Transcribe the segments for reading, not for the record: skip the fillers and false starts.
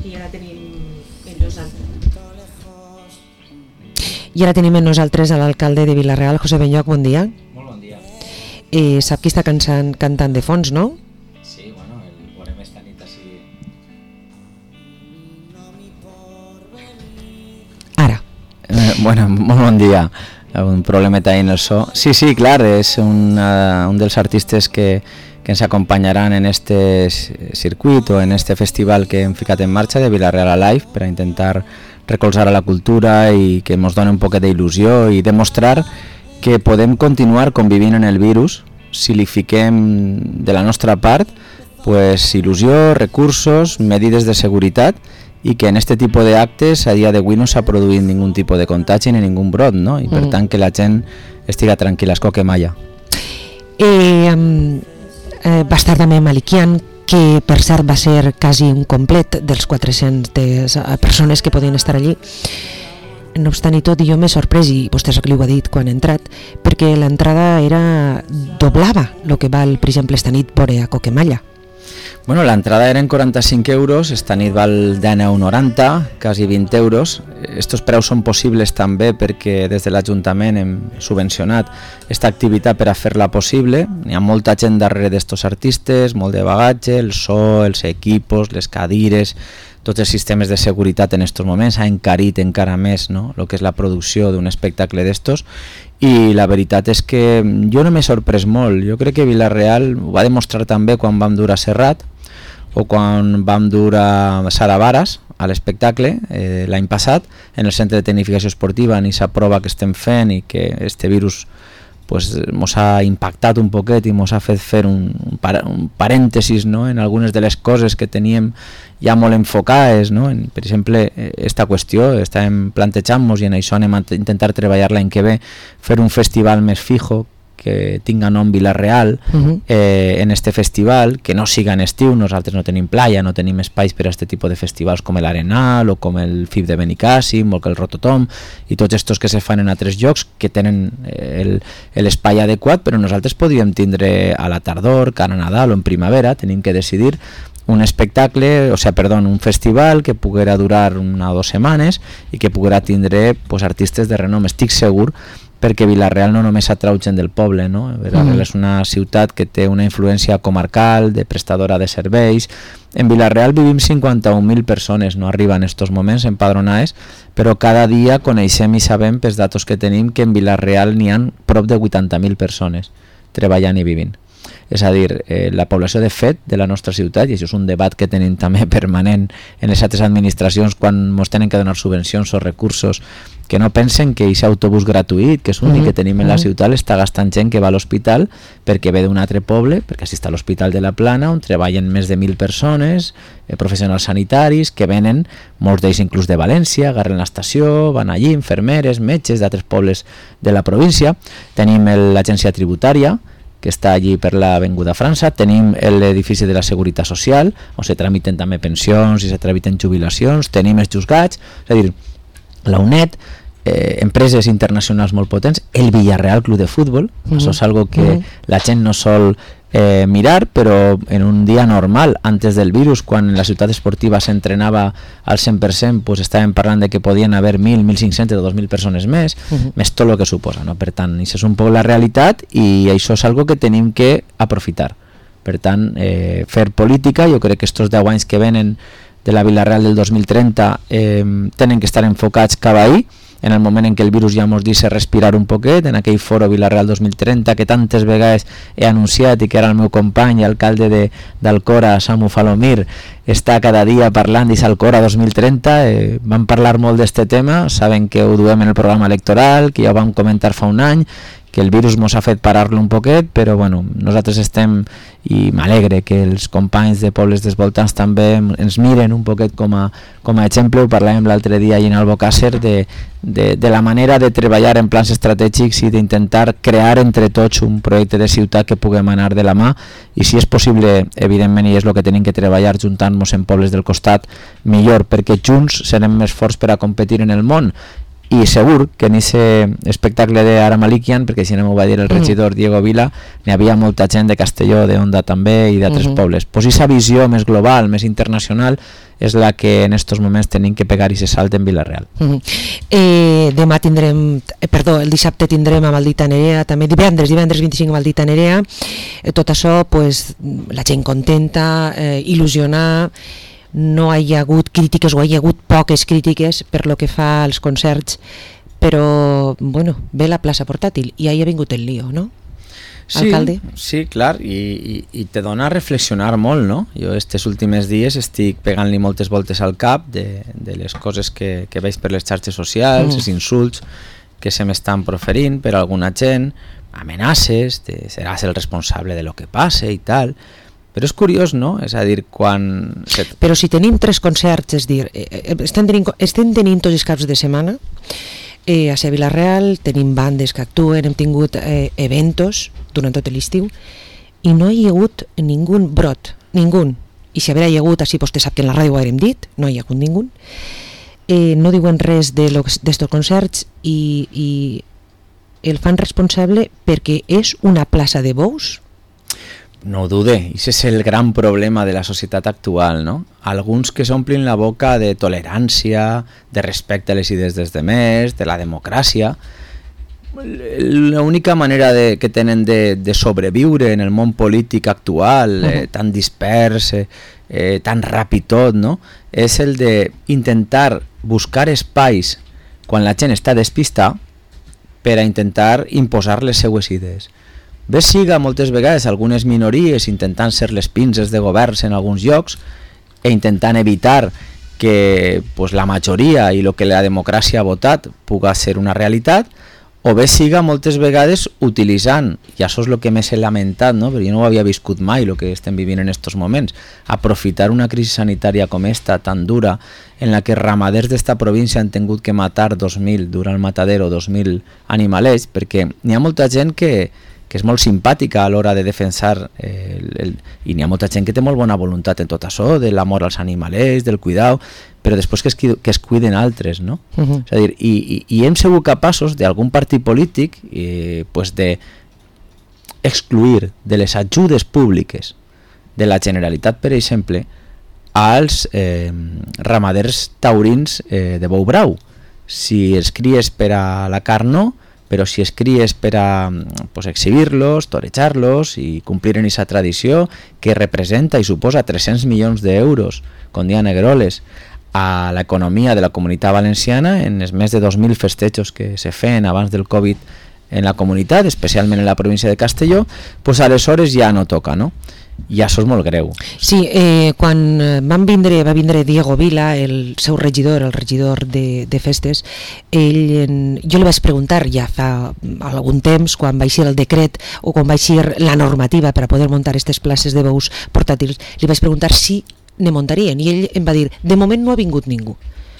I ara tenim amb nosaltres a l'alcalde de Vila-real, José Benlloch, bon dia. Molt bon dia. Sap qui està cantant de fons, no? Sí, bueno, el veurem esta nit així. Ara. Bueno, molt bon dia. Un problemeta ahí en el so. Sí, clar, és un dels artistes que ens acompanyaran en este circuit o en este festival que hem ficat en marxa de Vila-real Alive per a intentar recolzar a la cultura i que ens doni un poquet d'il·lusió i demostrar que podem continuar convivint en el virus si li fiquem de la nostra part pues, il·lusió, recursos, medides de seguretat i que en este tipus d'actes a dia d'avui no s'ha produït ningun tipus de contagi ni ningun brot, no? I per tant que la gent estiga tranquil·la, és que malla. Va estar també Malikian, que per cert va ser quasi un complet dels 400 persones que podien estar allí. No obstant i tot, jo m'he sorprès, i vostè sap que li ho ha dit quan ha entrat, perquè l'entrada doblava el que val, per exemple, esta nit veure a Coquemalla. Bueno, l'entrada eren 45 euros, esta nit val 19,90, quasi 20 euros. Estos preus són possibles també perquè des de l'Ajuntament hem subvencionat aquesta activitat per a fer-la possible. Hi ha molta gent darrere d'estos artistes, molt de bagatge, el so, els equipos, les cadires, tots els sistemes de seguretat en aquests moments ha encarit encara més, no?, el que és la producció d'un espectacle d'estos. I la veritat és que jo no m'he sorprès molt. Jo crec que Vila-real ho va demostrar també quan vam dur a Serrat o quan vam dur a Sara Varas a l'espectacle l'any passat en el Centre de Tecnificació Esportiva, en aquesta prova que estem fent i que este virus pues mos ha impactat un poquet i mos ha fet fer un parèntesis, no?, en algunes de les coses que teníem ja molt enfocades, no? Per exemple, esta qüestió estàvem plantejant-nos i en això anem a intentar treballar l'any que ve, fer un festival més fijo que tinga nom Vila-real en este festival, que no siga en estiu. Nosaltres no tenim playa, no tenim espais per a aquest tipus de festivals com l'Arenal o com el FIB de Benicàssim o el Rototom i tots estos que se fan en altres llocs que tenen l'espai adequat, però nosaltres podríem tindre a la tardor, cara a Nadal o en primavera, tenim que decidir un espectacle, un festival que poguera durar 1 o 2 setmanes i que poguera tindre pues, artistes de renom. Estic segur perquè Vila-real no només atrau gent del poble, no? Vila-real és una ciutat que té una influència comarcal, de prestadora de serveis. En Vila-real vivim 51.000 persones, no arriba en estos moments empadronades, però cada dia coneixem i sabem pels datos que tenim que en Vila-real n'hi ha prop de 80.000 persones treballant i vivint. És a dir, la població de fet de la nostra ciutat, i això és un debat que tenim també permanent en les altres administracions quan ens tenen que donar subvencions o recursos, que no pensen que aquest autobús gratuït, que és l'únic que tenim en la ciutat, està gastant gent que va a l'hospital perquè ve d'un altre poble, perquè així està l'Hospital de la Plana, on treballen més de 1.000 persones, professionals sanitaris, que venen, molts d'ells inclús de València, agarren l'estació, van allí, infermeres, metges d'altres pobles de la província. Tenim l'agència tributària, que està allí per l'Avinguda França, tenim l'edifici de la Seguretat Social, on se tramiten també pensions i se tramiten jubilacions, tenim els juzgats, és a dir, la UNED, empreses internacionals molt potents, el Villarreal Club de Futbol, això és algo que la gent no sol mirar, però en un dia normal, antes del virus, quan la ciutat esportiva s'entrenava al 100%, pues estàvem parlant de que podien haver 1.000, 1.500 o 2.000 persones més, més tot el que suposa, no? Per tant, això és un poc la realitat i això és algo que tenim que aprofitar. Per tant, fer política, jo crec que estos 10 anys que venen de la Vila-real del 2030 tenen que estar enfocats cap ahí, en el moment en què el virus ja ens deixa respirar un poquet, en aquell foro Vila-real 2030 que tantes vegades he anunciat i que ara el meu company i alcalde d'Alcora, Samu Falomir, està cada dia parlant d'Alcora 2030. Vam parlar molt d'este tema, saben que ho duem en el programa electoral, que ja ho vam comentar fa un any, que el virus ens ha fet parar-lo un poquet, però bueno, nosaltres estem, i m'alegre que els companys de pobles dels voltants també ens miren un poquet com a exemple. Ho parlàvem l'altre dia en Albocàsser de la manera de treballar en plans estratègics i d'intentar crear entre tots un projecte de ciutat que puguem anar de la mà, i si és possible, evidentment, i és el que tenim que treballar juntant-nos en pobles del costat, millor, perquè junts serem més forts per a competir en el món. i segur que en aquest espectacle d'Ara Malikian, perquè si no m'ho va dir el regidor Diego Vila, n'hi havia molta gent de Castelló, d'Onda també i d'altres pobles. Pues aquesta visió més global, més internacional, és la que en estos moments tenim que pegar i se salt en Vila-real. Demà tindrem, el dissabte tindrem a Maldita Nerea, també divendres 25 a Maldita Nerea. Tot això, pues, la gent contenta, il·lusionar. No hi ha hagut crítiques, o hi ha hagut poques crítiques per lo que fa als concerts, però bueno, ve la plaça portàtil i ahir ha vingut el lío, no? Alcalde? Sí, clar, i te dona a reflexionar molt, no? Jo estes últims dies estic pegant-li moltes voltes al cap de les coses que veig per les xarxes socials, els insults que se m'estan proferint per alguna gent, amenaces, seràs el responsable de lo que passe i tal. Però és curiós, no? És a dir, quan... Però si tenim 3 concerts, és dir, estem tenint tots els caps de setmana, a Vila-real tenim bandes que actuen, hem tingut eventos durant tot l'estiu, i no hi ha hagut ningú brot, ningú. I si hi ha hagut, així vostè sap que en la ràdio ho haurem dit, no hi ha hagut ningú. No diuen res d'estos concerts i el fan responsable perquè és una plaça de bous. No ho dude, això és el gran problema de la societat actual, no? Alguns que s'omplin la boca de tolerància, de respecte a les idees dels demés, de la democràcia. L'única manera que tenen de sobreviure en el món polític actual, tan dispers, tan ràpid tot, no? És el d'intentar buscar espais quan la gent està despistada per a intentar imposar les seues idees. Bé siga moltes vegades algunes minories intentant ser les pinces de governs en alguns llocs e intentant evitar que la majoria i el que la democràcia ha votat puga ser una realitat, o bé siga moltes vegades utilitzant, i això és el que més he lamentat, no? Perquè jo no ho havia viscut mai el que estem vivint en aquests moments, aprofitar una crisi sanitària com esta, tan dura, en la que ramaders d'esta província han tingut que matar 2.000, durant el matadero 2.000 animalets, perquè n'hi ha molta gent que és molt simpàtica a l'hora de defensar i n'hi ha molta gent que té molt bona voluntat en tot això, de l'amor als animalets, del cuidau, però després que es cuiden altres, no? És a dir, i hem sigut capaços d'algun partit polític de excluir de les ajudes públiques de la Generalitat, per exemple, als ramaders taurins de bou brau. Si els cries per a la carn, no, però si es cries per a exhibir-los, torejar-los i complir en aquesta tradició que representa i suposa 300 milions d'euros, com dia Negroles, a l'economia de la Comunitat Valenciana en els més de 2.000 festejos que se feien abans del Covid en la comunitat, especialment en la província de Castelló, aleshores ja no toca, no? I això és molt greu. Sí, quan va vindre Diego Vila, el seu regidor, el regidor de festes, jo li vaig preguntar ja fa algun temps, quan va eixir el decret o quan va eixir la normativa per a poder muntar aquestes places de bous portàtils, li vaig preguntar si ne muntarien, i ell em va dir, de moment no ha vingut ningú.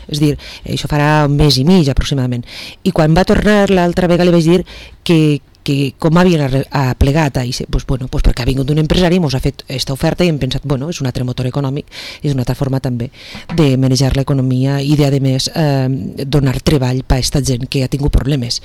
És dir, això farà un mes i mig aproximadament. I quan va tornar l'altra vegada li vaig dir que com havien plegat, perquè ha vingut un empresari i ens ha fet aquesta oferta i hem pensat, és un altre motor econòmic, és una altra forma també de manejar l'economia i de, a més, donar treball per a aquesta gent que ha tingut problemes.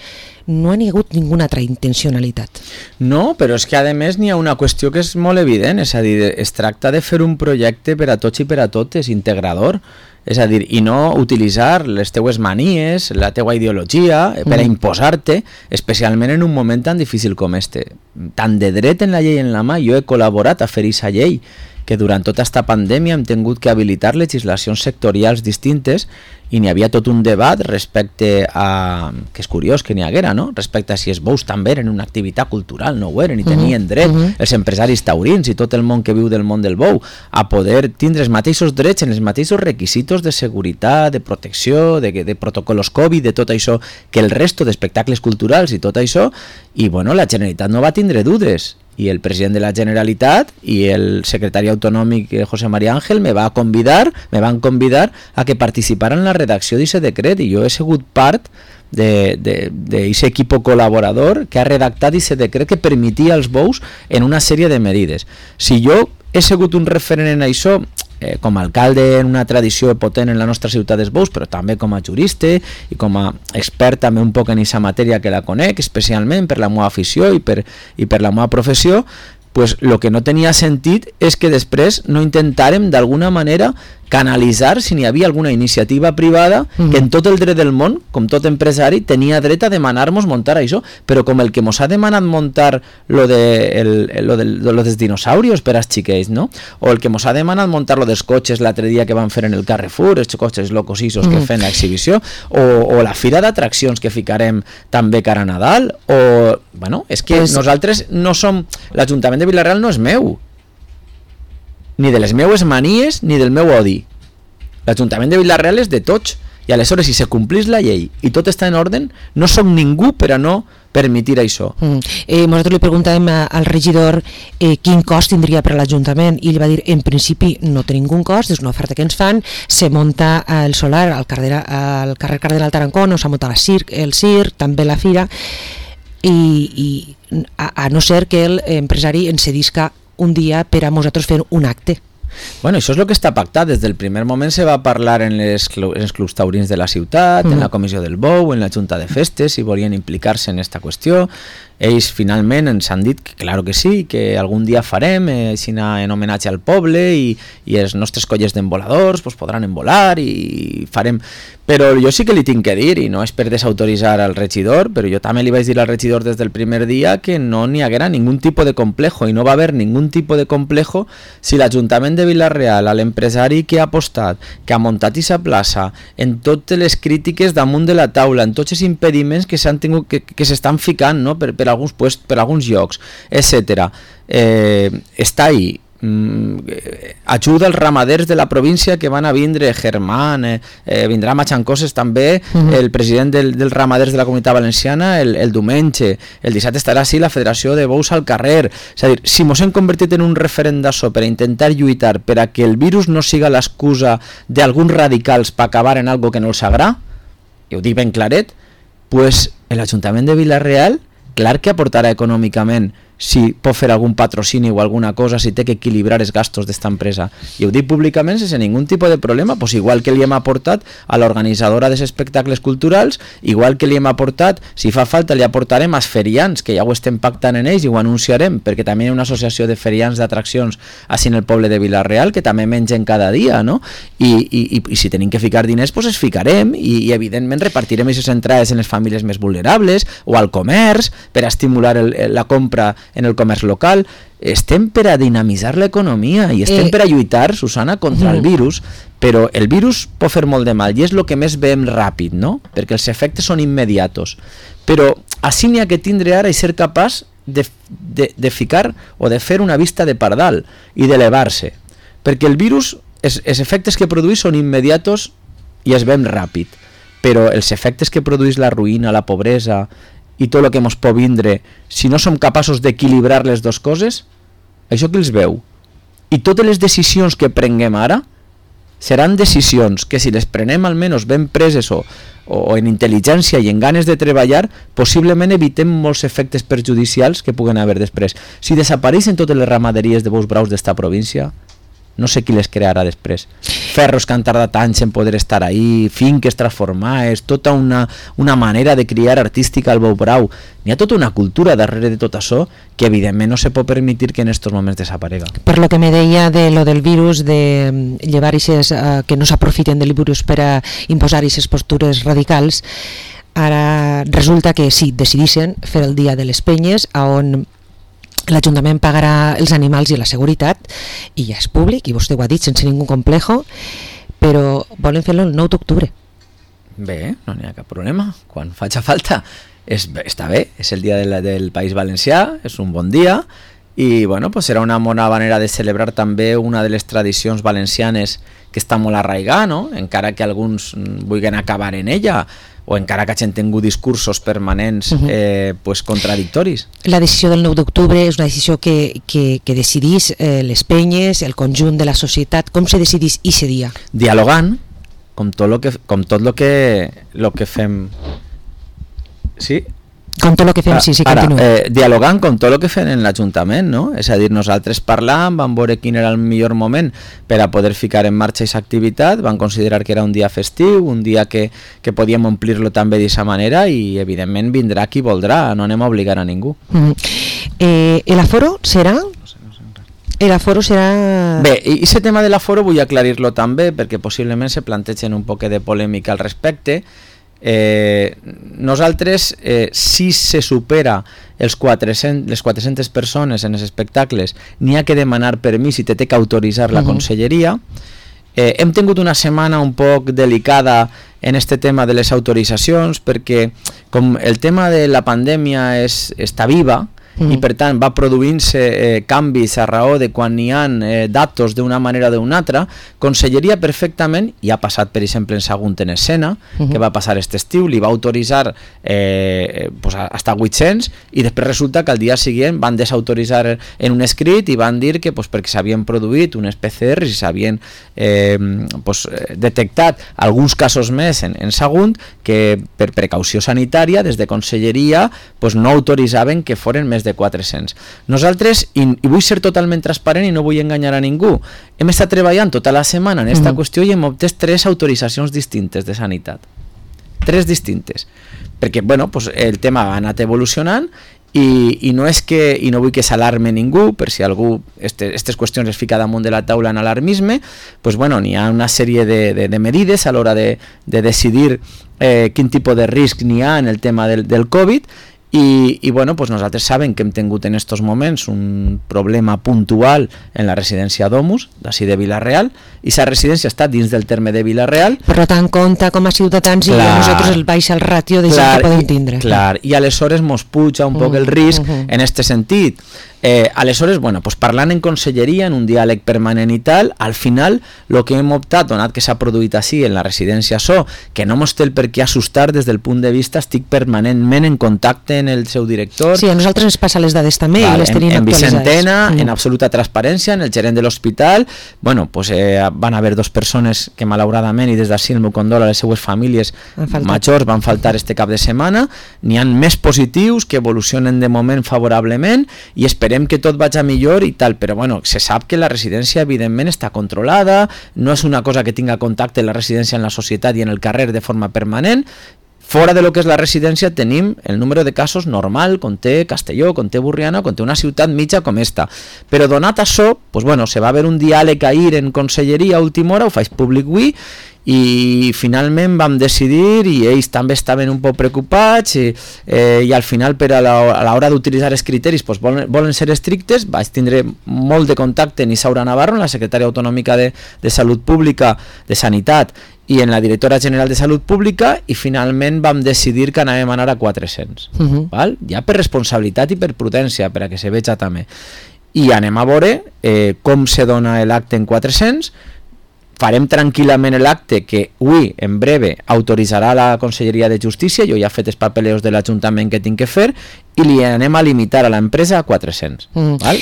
No hi ha hagut ninguna altra intencionalitat. No, però és que a més n'hi ha una qüestió que és molt evident, és a dir, es tracta de fer un projecte per a tots i per a totes, integrador, és a dir, i no utilitzar les teues manies, la teua ideologia per a imposar-te, especialment en un moment tan difícil com este. Tant de dret en la llei en la mà, jo he col·laborat a fer aquesta llei, que durant tota aquesta pandèmia hem tingut que habilitar legislacions sectorials distintes i n'hi havia tot un debat respecte a, que és curiós que n'hi haguera, no? Respecte a si els bous també eren una activitat cultural, no ho eren, i tenien dret els empresaris taurins i tot el món que viu del món del bou a poder tindre els mateixos drets en els mateixos requisitos de seguretat, de protecció, de protocols Covid, de tot això, que el resto d'espectacles culturals i tot això, i la Generalitat no va tindre dudes. I el president de la Generalitat i el secretari autonòmic José María Ángel me van convidar a que participara en la redacció d'aquest decret, i jo he sigut part d'aquest equip col·laborador que ha redactat aquest decret que permetia als bous en una sèrie de medides. Si jo he sigut un referent en això, com a alcalde en una tradició potent en la nostra ciutat dels bous, però també com a jurista i com a expert també un poc en aquesta matèria que la conec, especialment per la meva afició i per la meva professió, pues lo que no tenia sentit és que després no intentàrem d'alguna manera canalitzar si n'hi havia alguna iniciativa privada que en tot el dret del món, com tot empresari, tenia dret a demanar-nos muntar això, però com el que mos ha demanat muntar lo dels dinosaurios per als xiquets, no? O el que mos ha demanat muntar lo dels cotxes l'altre dia que van fer en el Carrefour, els cotxes locosissos que fan l'exhibició, o la fira d'atraccions que ficarem també cara a Nadal, o... Bueno, és que nosaltres no som... L'Ajuntament de Vila-real no és meu, ni de les meues manies ni del meu odi. L'Ajuntament de Vila-real és de tots, i aleshores si se complís la llei i tot està en ordre, no som ningú per a no permetir això. Nosaltres li preguntàvem al regidor quin cost tindria per a l'Ajuntament i ell va dir, en principi no té ningú cost, és una oferta que ens fan, se munta el solar al carrer Cardenal Tarancón, s'ha muntat el circ, també la fira, i a no ser que l'empresari ens cedisca un dia per a nosaltres fer un acte. Bueno, això és el que està pactat. Des del primer moment se va parlar en els clubs taurins de la ciutat, en la comissió del Bou, en la Junta de Festes, si volien implicar-se en aquesta qüestió. Ells finalment ens han dit que claro que sí, que algun dia farem en homenatge al poble i els nostres colles d'envoladors pues, podran envolar i farem... Però jo sí que li tinc que dir, i no és per desautoritzar al regidor, però jo també li vaig dir al regidor des del primer dia que no n'hi haguera ningú tipus de complejo i no va haver ningú tipus de complejo si l'Ajuntament de Vila-real, a l'empresari que ha apostat, que ha muntat aquesta plaça, en totes les crítiques damunt de la taula, en tots els impediments que s'han tingut que s'estan ficant, no? per alguns puestos, per alguns llocs, etc. Està ahí. Ajuda als ramaders de la província que van a vindre, Germán, vindrà a Matxancoses també, el president dels ramaders de la Comunitat Valenciana el diumenge, el dissabte estarà així la Federació de Bous al carrer. És a dir, si mos hem convertit en un referent d'això per a intentar lluitar per a que el virus no siga l'excusa d'alguns radicals per acabar en algo que no els agrada, i ho dic ben claret, pues l'Ajuntament de Vila-real clar que aportarà econòmicament si pot fer algun patrocini o alguna cosa, si té que equilibrar els gastos d'esta empresa. I ho dic públicament sense ningun tipus de problema, pues igual que li hem aportat a l'organitzadora dels espectacles culturals, igual que li hem aportat, si fa falta li aportarem als ferians, que ja ho estem pactant en ells i ho anunciarem, perquè també hi ha una associació de ferians d'atraccions així en el poble de Vila-real, que també mengen cada dia, no? I si tenim que ficar diners, pues es ficarem i evidentment repartirem aquestes entrades en les famílies més vulnerables o al comerç per a estimular la compra en el comerç local. Estem per a dinamitzar l'economia i estem per a lluitar, Susana, contra el virus, però el virus pot fer molt de mal i és el que més veiem ràpid, no? Perquè els efectes són immediatos. Però així n'hi ha que tindre ara i ser capaç de ficar o de fer una vista de pardal i d'elevar-se. Perquè el virus, els efectes que produeix són immediatos i es veiem ràpid, però els efectes que produeix la ruïna, la pobresa i tot el que ens pot vindre, si no som capaços d'equilibrar les dues coses, això que els veu. I totes les decisions que prenguem ara seran decisions que si les prenem almenys ben preses o en intel·ligència i en ganes de treballar, possiblement evitem molts efectes perjudicials que puguen haver després. Si desapareixen totes les ramaderies de bous braus d'esta província, no sé qui les crearà després. Ferros que han tardat anys en poder estar ahí, finques transformades, tota una manera de criar artística al bou brau. N'hi ha tota una cultura darrere de tot això que evidentment no se pot permetre que en aquests moments desaparega. Per lo que me deia de lo del virus, de llevar eixes, que no s'aprofiten del virus per a imposar aquestes postures radicals, ara resulta que sí, decidissin fer el dia de les penyes on l'Ajuntament pagarà els animals i la seguretat i ja és públic, i vostè ho ha dit sense ningú complejo, però volen fer-lo el 9 d'octubre. Bé, no n'hi ha cap problema, quan faci falta. Està bé, és el dia del País Valencià, és un bon dia i bueno, pues serà una bona manera de celebrar també una de les tradicions valencianes que està molt arraigada, no? Encara que alguns vulguin acabar en ella o encara que hagin tingut discursos permanents pues contradictoris. La decisió del 9 d'octubre és una decisió que decidís les penyes, el conjunt de la societat. Com se decidís aquest dia? Dialogant, com tot lo que fem. Sí? Com tot el que fem, sí, continua. Dialogant com tot el que fem en l'Ajuntament, no? És a dir, nosaltres parlàvem, vam veure quin era el millor moment per a poder ficar en marxa aquesta activitat, vam considerar que era un dia festiu, un dia que podíem omplir-lo també d'aquesta manera i evidentment vindrà qui voldrà, no anem a obligar a ningú. L'aforo serà? L'aforo serà... Bé, i aquest tema de l'aforo vull aclarir-lo també perquè possiblement se plantegen un poc de polèmica al respecte. Nosaltres si se supera les 400 persones en els espectacles n'hi ha que demanar permís i té que autoritzar la conselleria. Hem tingut una setmana un poc delicada en este tema de les autoritzacions perquè com el tema de la pandèmia està viva i per tant va produint-se canvis a raó de quan n'hi ha datos d'una manera o d'una altra, Conselleria perfectament, i ha passat per exemple en Sagunt en Escena, que va passar aquest estiu, li va autoritzar hasta 800 i després resulta que al dia següent van desautoritzar en un escrit i van dir que perquè s'havien produït unes PCRs i s'havien detectat alguns casos més en Sagunt que per precaució sanitària des de Conselleria no autoritzaven que foren més de 400. Nosaltres, i vull ser totalment transparent i no vull enganyar a ningú, hem estat treballant tota la setmana en aquesta qüestió i hem obtès 3 autoritzacions distintes de sanitat. 3 distintes. Perquè el tema ha anat evolucionant i no és que, i no vull que s'alarme ningú, per si algú aquestes qüestions es fica damunt de la taula en alarmisme, n'hi ha una sèrie de medides a l'hora de decidir quin tipus de risc n'hi ha en el tema del Covid. I nosaltres sabem que hem tingut en aquests moments un problema puntual en la residència Domus, d'ací de Vila-real, i la residència està dins del terme de Vila-real. Per tant, compta com a ciutadans i nosaltres el baixa el ràtio de gent que podem tindre. Clar, i aleshores mos puja un poc el risc en aquest sentit. Aleshores, parlant en conselleria, en un diàleg permanent i tal, al final el que hem optat, donat que s'ha produït així en la residència So, que no mos té el per què assustar des del punt de vista, estic permanentment en contacte amb el seu director. Sí, a nosaltres ens passa les dades també i les tenim actualitzades. En Vicentena, en absoluta transparència, en el gerent de l'hospital, van haver 2 persones que malauradament, i des d'ací el meu condol a les seues famílies majors, van faltar este cap de setmana. N'hi ha més positius que evolucionen de moment favorablement i esperem que tot vagi millor i tal, però se sap que la residència evidentment està controlada, no és una cosa que tinga contacte la residència en la societat i en el carrer de forma permanent. Fora de lo que és la residència tenim el número de casos normal, com té Castelló, com té Burriana, com té una ciutat mitja com esta. Però donat això, se va haver un diàleg ahir en conselleria a última hora, ho faig públic avui, i finalment vam decidir, i ells també estaven un poc preocupats i al final a l'hora d'utilitzar els criteris volen ser estrictes. Vaig tindre molt de contacte amb Isaura Navarro, la secretària autonòmica de Salut Pública, de Sanitat, i en la directora general de Salut Pública, i finalment vam decidir que anàvem a anar a 400, ja per responsabilitat i per prudència, per a que se veja també, i anem a veure com se dona l'acte en 400. Farem tranquil·lament l'acte que avui, en breve, autoritzarà la Conselleria de Justícia. Jo ja he fet els papeleos de l'Ajuntament que tinc que fer i li anem a limitar a l'empresa a 400,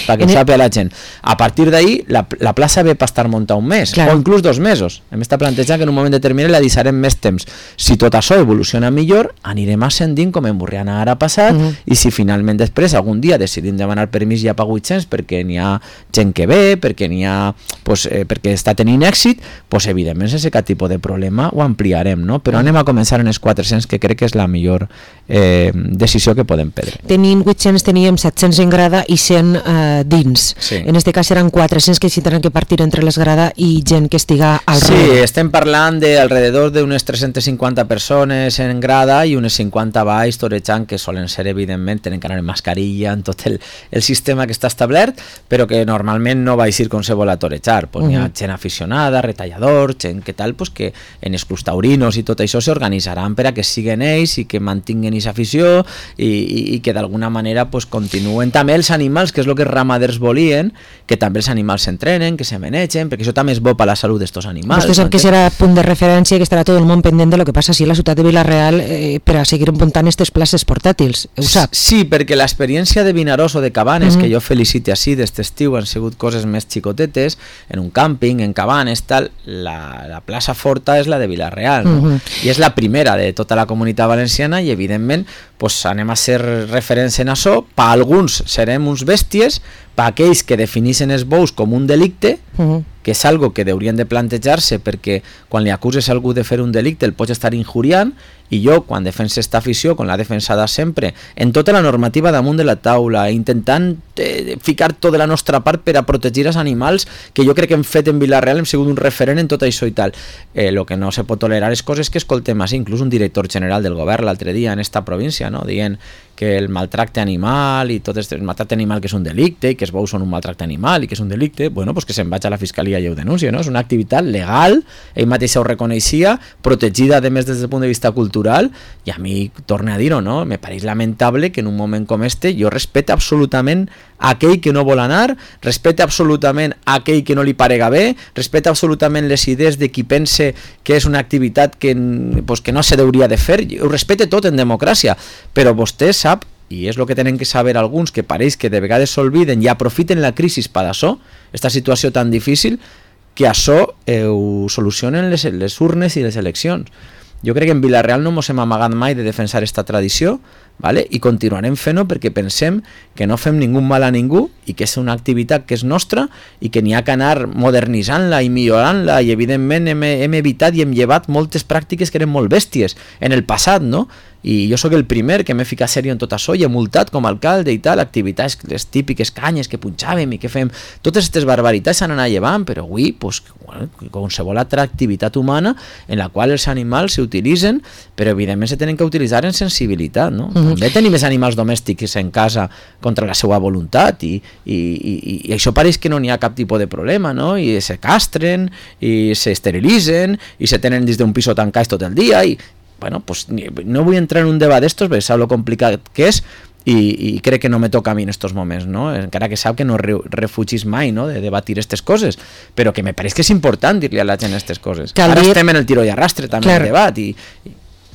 perquè sàpiga la gent. A partir d'ahir, la plaça ve per estar muntada un mes, o inclús 2 mesos. Hem estat plantejant que en un moment determinat la deixarem més temps. Si tot això evoluciona millor, anirem ascendint com en Burriana ara ha passat, i si finalment després algun dia decidim demanar permís ja per 800 perquè n'hi ha gent que ve, perquè n'hi ha perquè està tenint èxit, evidentment sense cap tipus de problema ho ampliarem, no? Però anem a començar en els 400, que crec que és la millor decisió que podem prendre. Tenim 800, teníem 700 en grada i 100 dins. En aquest cas seran 400 que s'hi tenen que partir entre les grada i gent que estiga al darrere. Sí, estem parlant d'alrededor d'unes 350 persones en grada i unes 50 baix torejant, que solen ser, evidentment, tenen que anar en mascarilla, en tot el sistema que està establert, però que normalment no va aixir com se vol a torejar. Hi ha gent aficionada, retallador, gent que tal, que en els clubs taurinos i tot això s'organitzaran per a que siguen ells i que mantinguen aquesta afició i que que d'alguna manera pues, continuen també els animals, que és el que els ramaders volien, que també els animals s'entrenen, que se menegen, perquè això també és bo per la salut d'estos animals. Vostè sap que serà punt de referència, que estarà tot el món pendent de lo que passa així a la ciutat de Vila-real per a seguir muntant aquestes places portàtils, ho sap? Sí, perquè l'experiència de Vinaròs o de Cabanes, que jo felicite així d'este estiu, han sigut coses més xicotetes, en un càmping, en Cabanes, tal, la plaça forta és la de Vila-real, no? I és la primera de tota la comunitat valenciana i evidentment pues, anem a ser referents en això, per alguns serem uns bèsties, per aquells que defineixen els bous com un delicte, que és algo que haurien de plantejar-se perquè quan li acuses a algú de fer un delicte el pots estar injuriant, i jo quan defenso esta afició, com l'ha defensada sempre, en tota la normativa damunt de la taula, intentant ficar tot de la nostra part per a protegir els animals, que jo crec que hem fet en Vila-real, hem sigut un referent en tot això i tal. El que no se pot tolerar és coses que escoltem així, inclús un director general del govern l'altre dia en esta província, no? Dient que el maltracte animal i tot el maltracte animal que és un delicte i que els bous són un maltracte animal i que és un delicte, bueno, pues que se'n vaig a la fiscalia i ho denuncia, no? És una activitat legal, ell mateix ho reconeixia, protegida a més des del punt de vista cultural, i a mi, torne a dir-ho, no? Me pareix lamentable que en un moment com este jo respecte absolutament aquell que no vol anar, respecte absolutament aquell que no li parega bé, respecte absolutament les idees de qui pense que és una activitat que, pues, que no se hauria de fer, ho respecte tot en democràcia, però vostè sap, i és el que tenen que saber alguns, que pareix que de vegades s'olviden i aprofiten la crisi per això, esta situació tan difícil, que això ho solucionen les urnes i les eleccions. Jo crec que en Vila-real no ens hem amagat mai de defensar esta tradició, ¿vale? I continuarem fent-ho perquè pensem que no fem ningú mal a ningú i que és una activitat que és nostra i que n'hi ha que anar modernitzant-la i millorant-la, i evidentment hem evitat i hem llevat moltes pràctiques que eren molt bèsties en el passat, no? I jo sóc el primer que m'he ficat sèrio en tot això i he multat com a alcalde i tal, activitats, les típiques canyes que punxàvem i que fem, totes aquestes barbaritats s'han anat llevant, però avui, pues, bueno, qualsevol altra activitat humana en la qual els animals s'utilitzen, però evidentment se tenen que utilitzar en sensibilitat, no? També tenim més animals domèstics en casa contra la seva voluntat i això pareix que no n'hi ha cap tipus de problema, no? I se castren i s'esterilitzen i se tenen dins d'un piso tancats tot el dia i bueno, pues no vull entrar en un debat d'estos, perquè sap lo complicat que és i crec que no me toca a mi en estos moments, no? Encara que sap que no refugis mai, no? De debatir aquestes coses, però que me pareix que és important dir-li a la gent aquestes coses. Ara estem en el tiro i arrastre també el debat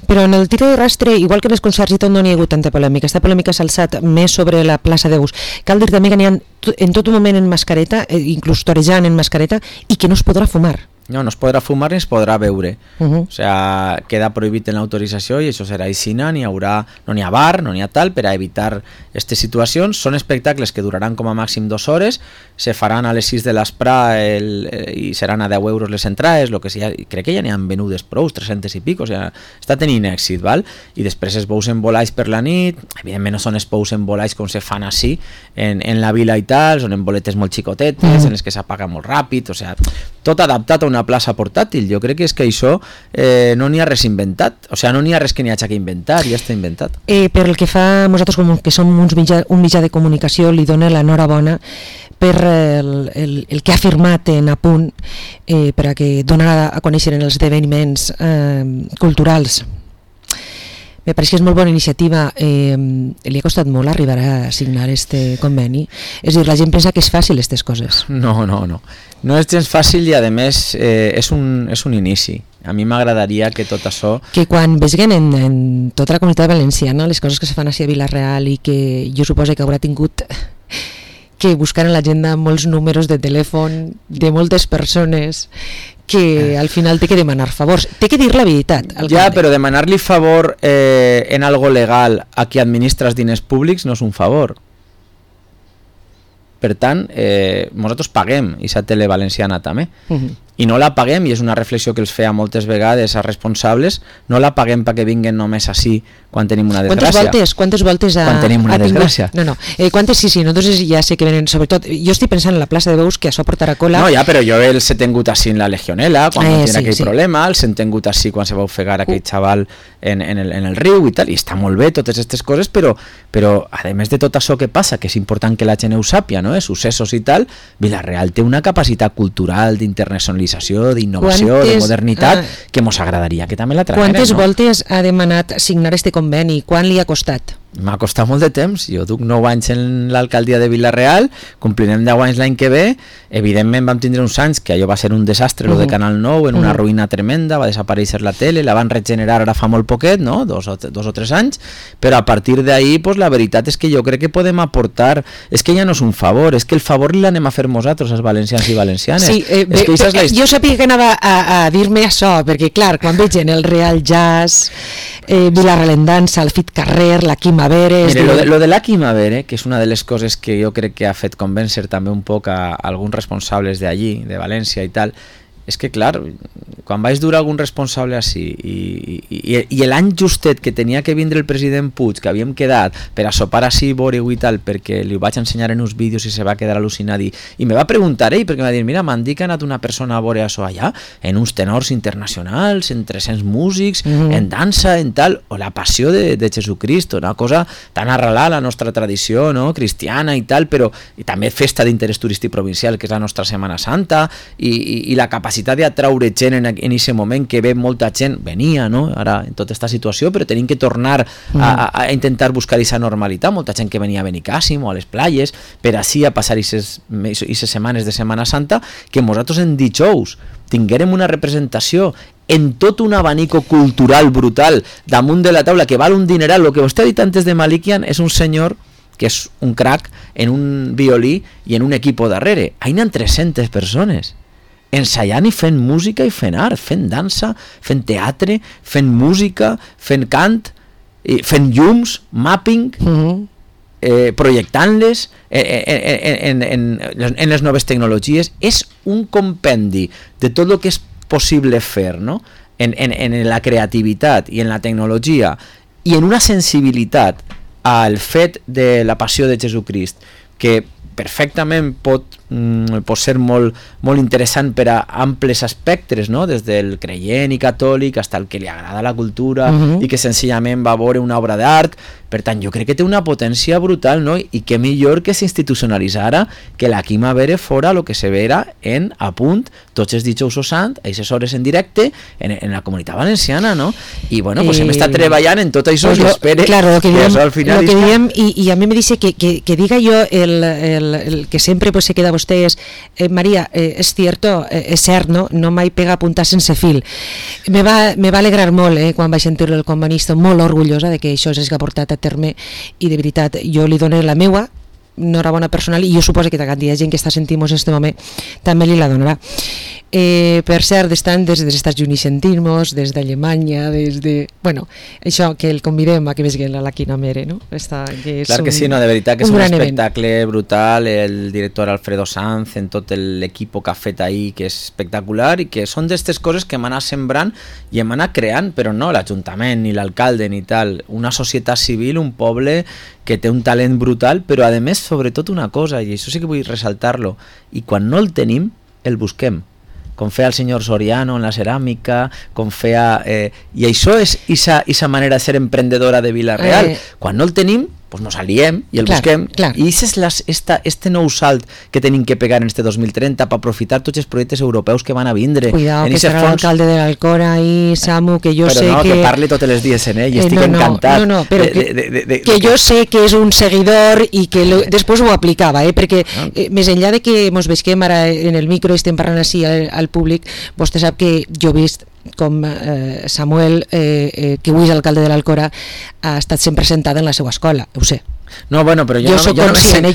Però en el tiro i arrastre, igual que en els concerts i tot, no n'hi ha hagut tanta polèmica. Aquesta polèmica s'ha alçat més sobre la plaça de Bous. Cal dir també que n'hi ha en tot un moment en mascareta, inclús torejant en mascareta, i que no es podrà fumar. No es podrà fumar ni es podrà beure. O sea, queda prohibit en l'autorització i això serà així, no n'hi ha bar, no n'hi ha tal, per a evitar aquestes situacions. Són espectacles que duraran com a màxim 2 hores, se faran a les 6 de l'esprà i seran a 10 euros les entrades, lo que sigui, crec que ja n'hi han venudes prou, 300 i pico, o sea, està tenint èxit, val? I després es bous en volais per la nit, evidentment no són es bous en volais com se fan així en la vila i tal, són en boletes molt xicotetes, en les que s'apaga molt ràpid, o sea, tot adaptat a una plaça portàtil. Jo crec que és que això no n'hi ha res inventat, o sigui, no n'hi ha res que n'hi hagi que inventar, ja està inventat. Per el que fa a nosaltres, com que som un mitjà de comunicació, li dona l'enhorabona per el que ha firmat en Apunt per a que donar a conèixer els esdeveniments culturals. Me pareix que és molt bona iniciativa. Li ha costat molt arribar a signar este conveni? És a dir, la gent pensa que és fàcil aquestes coses. No. No és gens fàcil i a més és un inici. A mi m'agradaria que tot això... Que quan veguen en tota la comunitat valenciana les coses que se fan així a Vila-real i que jo suposo que haurà tingut que buscar en l'agenda molts números de telèfon de moltes persones que al final té que demanar favors, té que dir la veritat. Ja, però demanar-li favor en algo legal a qui administra els diners públics no és un favor. Per tant, nosaltres paguem aquesta tele valenciana també, i no la paguem, i és una reflexió que els feia moltes vegades a responsables, no la paguem perquè vinguen només així quan tenim una desgràcia. Quantes voltes quan tenim una desgràcia? No. Quantes sí, nosaltres ja sé que venen, sobretot, jo estic pensant en la plaça de Bous, que això portarà cola. No, ja, però jo els he tingut així en la Legionela, quan no tenia aquell problema, els he tingut així quan se va ofegar aquell xaval en el riu i tal, i està molt bé totes aquestes coses, però a més de tot això que passa, que és important que la gent ho sàpia, no? Successos i tal, Vila-real té una capacitat cultural d'internacionalització, d'innovació, de modernitat, que mos agradaria que també la tragueren. Quantes voltes ha demanat signar este conveni? Quan li ha costat? m'ha costat molt de temps, jo duc 9 anys en l'alcaldia de Vila-real, complirem 10 anys l'any que ve, evidentment vam tindre uns anys que allò va ser un desastre, lo de Canal 9, en una ruïna tremenda, va desaparèixer la tele, la van regenerar ara fa molt poquet, no? dos o 3 anys, però a partir d'ahí, pues, la veritat és que jo crec que podem aportar, és que ja no és un favor, és que el favor l'anem a fer nosaltres, els valencians i valencianes. Sí, és que és la jo sabia que anava a dir-me això, perquè clar, quan veig en el Real Jazz, Vila-real Dansa, el Fit Carrer, la Quima Veres... Mire, lo de la Quima Veres, que és una de les coses que jo crec que ha fet convèncer també un poc a alguns responsables d'allí, de València i tal, és que clar, quan vaig dur algun responsable així i l'any justet que tenia que vindre el president Puig, que havíem quedat per a sopar així, veure-ho i tal, perquè li ho vaig ensenyar en uns vídeos i se va quedar al·lucinat i me va preguntar ell, perquè em va dir, mira, m'han dit que ha anat una persona a veure això allà, en uns tenors internacionals, en 300 músics, en dansa, en tal, o la passió de Jesucristo, una cosa tan arrelada a la nostra tradició, no?, cristiana i tal, però i també festa d'interès turístic provincial, que és la nostra Setmana Santa, i la capacitat d'atraure gent en aquest moment que ve molta gent, venia, no?, ara en tota aquesta situació, però tenim que tornar a intentar buscar aquesta normalitat, molta gent que venia a Benicàssim o a les platges, per així a passar aquestes setmanes de Setmana Santa, que nosaltres en dijous tinguérem una representació en tot un abanico cultural brutal damunt de la taula, que val un dineral. El que vostè ha dit antes de Malikian és un senyor que és un crack en un violí i en un equipo darrere. Hi ha 300 persones ensaiant i fent música i fent art, fent dansa, fent teatre, fent música, fent cant, fent llums, mapping, projectant-les en les noves tecnologies. És un compendi de tot el que és possible fer, no?, en la creativitat i en la tecnologia i en una sensibilitat al fet de la passió de Jesucrist que perfectament pot ser molt interessant per a amples aspectes, no?, des del creient i catòlic fins al que li agrada la cultura i que senzillament va veure una obra d'art. Per tant, jo crec que té una potència brutal, no?, i que millor que s'institucionalitzara que la Quima Veres fora el que se vera en a punt tots els dijous sant, a aquestes hores en directe en la comunitat valenciana, no? I bueno, pues hem estat treballant en tot això, i espero que això al final i a mi me dice que diga jo el que sempre pues se queda vostès, María, és cert, no mai pega puntar sense fil. Me va alegrar molt quan vaig sentir-lo el comunista, molt orgullosa de que això s'hagi portat a terme, i de veritat jo li dono la meua enhorabona personal, i jo suposo que cada dia gent que està sentint en aquest moment també li la donarà. Per cert, estan des dels Estats Units sentint-nos, des d'Alemanya, bueno, això, que el convidem a que vegi la Quima Veres, no? Clar que sí, no, de veritat que és un espectacle brutal, el director Alfredo Sanz, en tot l'equip que ha fet ahir, que és espectacular, i que són d'aquestes coses que hem anat sembrant i hem anat creant, però no l'Ajuntament, ni l'alcalde, ni tal, una societat civil, un poble que té un talent brutal, però a més, sobretot una cosa, i això sí que vull ressaltar-lo, i quan no el tenim, el busquem, com feia el senyor Soriano en la ceràmica, com feia... I això és aquesta manera de ser emprendedora de Vila-real. Quan no el tenim, pues nos aliem i el busquem. I aquest és este nou salt que tenim que pegar en este 2030 per aprofitar tots els projectes europeus que van a vindre. Cuidado, que serà l'alcalde de l'Alcora i Samu, que jo sé que... Però no, que parli tots els dies en ell, i estic encantat. No, però que jo sé que és un seguidor i que després ho aplicava, perquè més enllà de que ens veiem ara en el micro i estem parlant així al públic, vostè sap que jo he vist com Samuel, que avui és alcalde de l'Alcora, ha estat sempre sentat en la seva escola, ho sé. No, bueno, però jo soc conscient,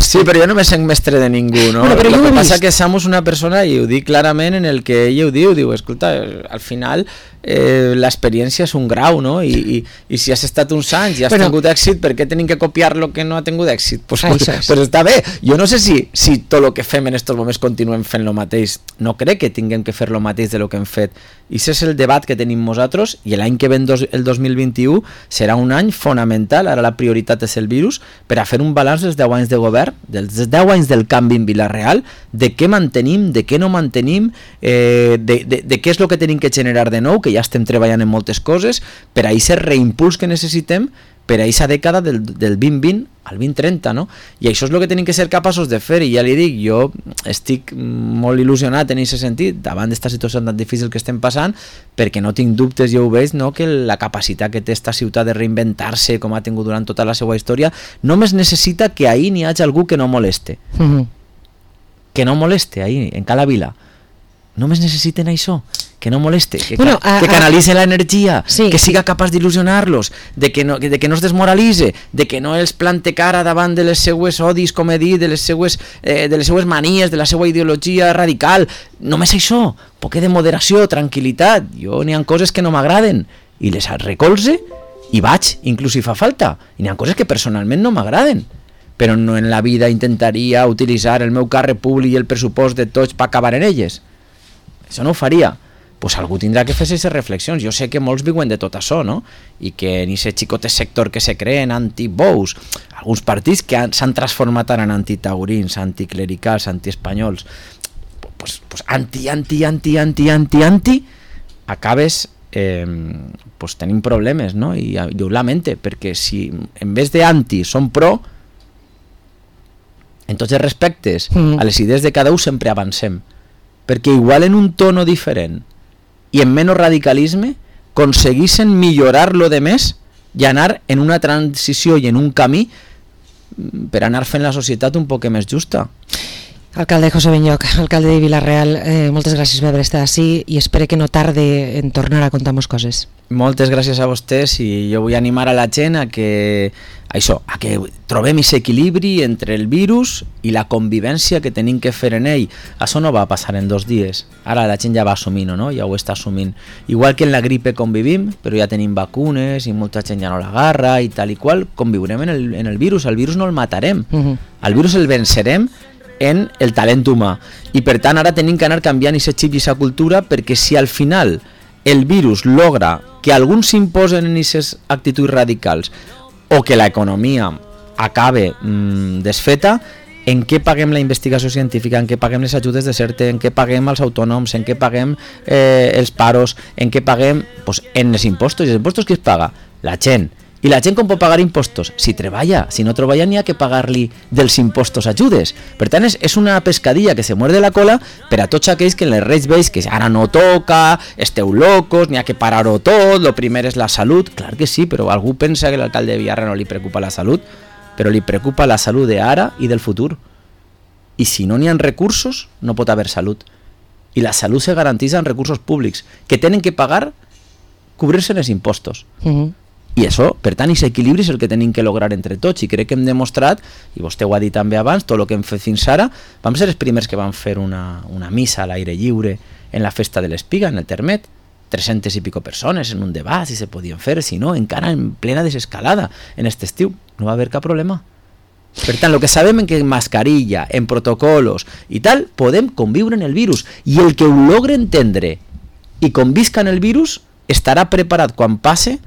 sí, però jo no me sent mestre de ningú, no? Bueno, el que passa que Samu és una persona, i ho dic clarament, en el que ell ho diu, escolta, al final l'experiència és un grau, no? I si has estat uns anys i has tingut èxit, per què tenim que copiar lo que no ha tingut èxit? Pues està bé. Jo no sé si tot el que fem en aquests moments continuem fent lo mateix. No crec que tinguem que fer lo mateix de lo que hem fet. I aquest és el debat que tenim nosaltres, i l'any que ve, el 2021, serà un any fonamental. Ara la prioritat és el virus, per a fer un balanç dels 10 anys de govern, dels 10 anys del canvi en Vila-real, de què mantenim, de què no mantenim, de què és el que tenim que generar de nou, que ja estem treballant en moltes coses, per a aquest reimpuls que necessitem per a aquesta dècada del 2020 al 2030, no? I això és el que tenim que ser capaços de fer, i ja li dic, jo estic molt il·lusionat en aquest sentit, davant d'esta situació tan difícil que estem passant, perquè no tinc dubtes, jo ho veig, no? Que la capacitat que té esta ciutat de reinventar-se com ha tingut durant tota la seva història, només necessita que ahir n'hi hagi algú que no moleste. Que no moleste ahir, en cada vila. Només necessiten això, que no moleste, que canalitzen l'energia, sí, que siga capaç d'il·lusionar-los, de que no es desmoralitze, de que no els plante cara davant de les seues odis, com he dit, de les seues manies, de la seva ideologia radical. Només això, un poc de moderació, tranquil·litat. Jo n'hi ha coses que no m'agraden i les recolze i vaig, inclús si fa falta. I n'hi ha coses que personalment no m'agraden, però no en la vida intentaria utilitzar el meu càrrec públic i el pressupost de tots per acabar en elles. Això no ho faria. Pues algú tindrà que fer aquestes reflexions. Jo sé que molts viuen de tot això, no? I que en aquest xicotet sector que se creen anti-bous, alguns partits que s'han transformat ara en antitaurins, anticlericals, antiespanyols, pues anti, acabes pues tenim problemes, no? I jo ho lamente, perquè si en vez de anti són pro, en tots els respectes, a les idees de cada un sempre avancem. Perquè igual en un tono diferent i en menys radicalisme aconseguissin millorar lo de més i anar en una transició i en un camí per anar fent la societat un poc més justa. Alcalde José Benlloch, alcalde de Vila-real, moltes gràcies per haver estat així i espero que no tarde en tornar a contar-nos coses. Moltes gràcies a vostès i jo vull animar a la gent a que trobem aquest equilibri entre el virus i la convivència que tenim que fer en ell. Això no va passar en 2 dies. Ara la gent ja va assumint, no? Ja ho està assumint. Igual que en la gripe convivim, però ja tenim vacunes i molta gent ja no l'agarra i tal i qual, conviurem en el virus. El virus no el matarem. El virus el vencerem en el talent humà, i per tant ara tenim que anar canviant aquest xip i aquesta cultura, perquè si al final el virus logra que alguns s'imposen en aquestes actituds radicals o que l'economia acabe desfeta, en què paguem la investigació científica, en què paguem les ajudes de CERTE, en què paguem els autònoms, en què paguem els paros, en què paguem en els impostos. I els impostos qui es paga? La gent. I la gent com pot pagar impostos? Si treballa. Si no treballa n'hi ha que pagar-li dels impostos ajudes. Per tant, és una pescadilla que se muerde la cola per a tots aquells que en les reis veig que ara no toca, esteu locos, n'hi ha que parar-ho tot, lo primer és la salut. Clar que sí, però algú pensa que l'alcalde de Villarreal no li preocupa la salut, però li preocupa la salut d'ara i del futur. I si no n'hi ha recursos, no pot haver salut. I la salut se garanteix amb recursos públics, que tenen que pagar, cobrir-se en els impostos. I això, per tant, aquest equilibri és el que tenim que lograr entre tots, i crec que hem demostrat, i vostè ho ha dit també abans, tot el que hem fet fins ara. Vam ser els primers que van fer una missa a l'aire lliure en la festa de l'Espiga, en el Termet, 300 i pico persones en un debat, si se podien fer, si no, encara en plena desescalada en aquest estiu, no va haver cap problema. Per tant, el que sabem en que en mascarilla, en protocolos i tal, podem conviure en el virus, i el que ho logre entendre i convisca en el virus estarà preparat quan passe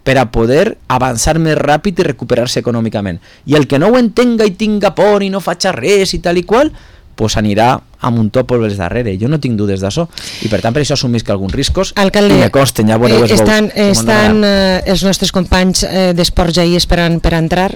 per a poder avançar més ràpid i recuperar-se econòmicament. I el que no ho entenga i tinga por i no faci res i tal i qual, pues anirà amb un top pels darrere. Jo no tinc dudes d'això. I per tant, per això assumisc alguns riscos. Alcalde, i me costen, ja veureu estan els nostres companys d'Esports ja hi esperant per entrar.